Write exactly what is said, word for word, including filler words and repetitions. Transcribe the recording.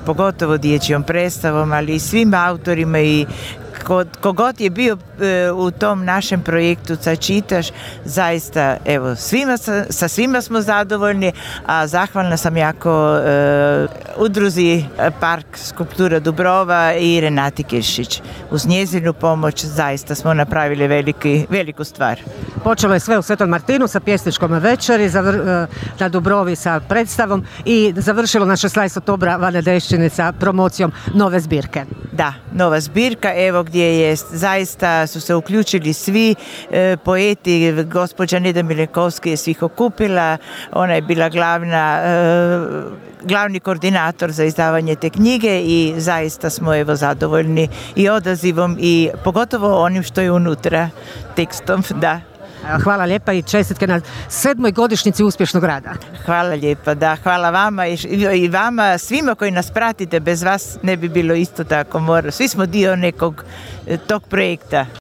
pogotovo dječjom predstavom, ali i svim autorima i kogod je bio e, u tom našem projektu Sad čitaš, zaista evo svima, sa, sa svima smo zadovoljni, a zahvalna sam jako e, udruzi Park skulptura Dubrova i Renati Kiršić. Uz njezinu pomoć zaista smo napravili veliki, veliku stvar. Počelo je sve u Svetom Martinu sa pjesničkom večeri, zavr, na Dubrovi sa predstavom i završilo na šesnaestog oktobra Vane Deščine sa promocijom nove zbirke. Da, nova zbirka, evo gdje je zaista su se uključili svi e, poeti, gospođa Neda Milenkovska je svih okupila, ona je bila glavna, e, glavni koordinator za izdavanje te knjige i zaista smo evo zadovoljni i odazivom i pogotovo onim što je unutra tekstom, da. Hvala lijepa i čestitke na sedmoj godišnjici uspješnog rada. Hvala lijepa, da, hvala vama i, i vama, svima koji nas pratite, bez vas ne bi bilo isto tako, mora. Svi smo dio nekog tog projekta.